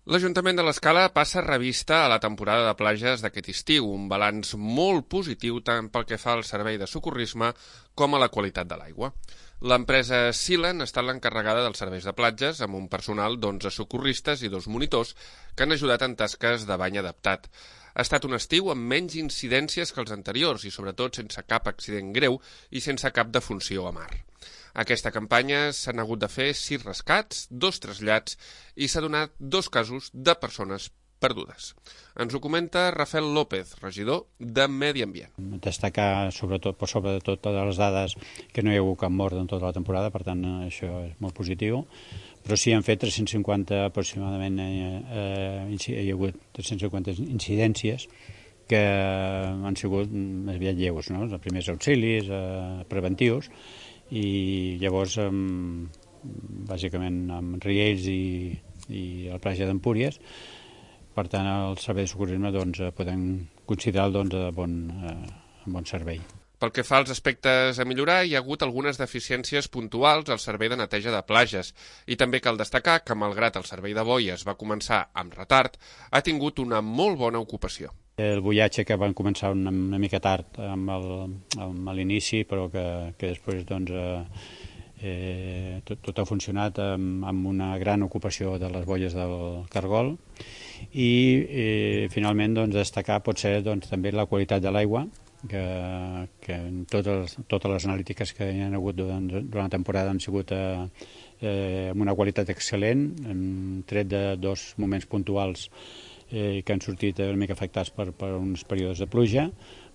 L'Ajuntament de l'Escala passa revista a la temporada de platges d'aquest estiu, un balanç molt positiu tant pel que fa al servei de socorrisme com a la qualitat de l'aigua. L'empresa Silen ha estat l'encarregada dels serveis de platges amb un personal d'11 socorristes i 2 monitors que han ajudat en tasques de bany adaptat. Ha estat un estiu amb menys incidències que els anteriors i sobretot sense cap accident greu i sense cap defunció a mar. Aquesta campanya s'han hagut de fer 6 rescats, 2 trasllats i s'ha donat 2 casos de persones perdudes. Ens ho comenta Rafael López, regidor de Medi Ambient. Destacar sobretot totes les dades que no hi ha hagut cap mort en tota la temporada, per tant això és molt positiu, però sí han fet 350 aproximadament, hi ha hagut 350 incidències que han sigut més aviat lleus, no? Els primers auxilis preventius, i llavors bàsicament amb riells i la platja d'Empúries. Per tant, el servei de socorrisme podem considerar bon servei. Pel que fa als aspectes a millorar, hi ha hagut algunes deficiències puntuals al servei de neteja de platges i també cal destacar que, malgrat el servei de boies va començar amb retard, ha tingut una molt bona ocupació. El buiatge que van començar una mica tard amb l'inici, però que després tot ha funcionat amb una gran ocupació de les boies del cargol i finalment destacar potser també la qualitat de l'aigua, que en totes les analítiques que hi ha hagut durant la temporada han sigut amb una qualitat excel·lent, tret de 2 moments puntuals que han sortit una mica afectats per uns períodes de pluja,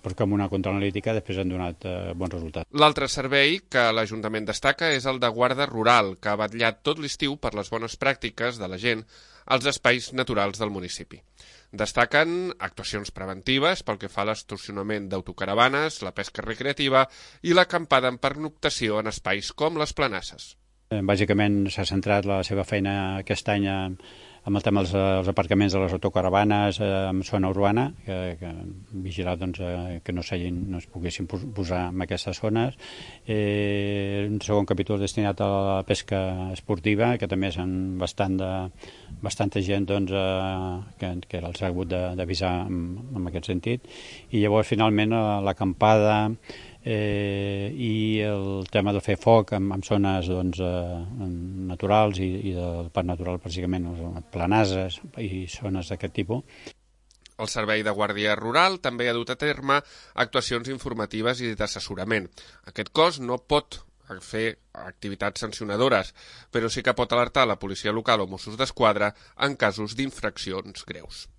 però que amb una contraanalítica després han donat bons resultats. L'altre servei que l'Ajuntament destaca és el de guarda rural, que ha vetllat tot l'estiu per les bones pràctiques de la gent als espais naturals del municipi. Destaquen actuacions preventives pel que fa a l'estacionament d'autocaravanes, la pesca recreativa i l'acampada en pernoctació en espais com les planasses. Bàsicament s'ha centrat la seva feina aquest any amb el tema dels aparcaments de les autocaravanes en zona urbana, que vigilar que no es poguessin posar en aquestes zones. Un segon capítol destinat a la pesca esportiva, que també són bastanta gent que els ha hagut d'avisar en aquest sentit. I llavors, finalment, l'acampada i el tema de fer foc en zones naturals i del parc natural, bàsicament planases i zones d'aquest tipus. El Servei de Guàrdia Rural també ha dut a terme actuacions informatives i d'assessorament. Aquest cos no pot fer activitats sancionadores, però sí que pot alertar la policia local o Mossos d'Esquadra en casos d'infraccions greus.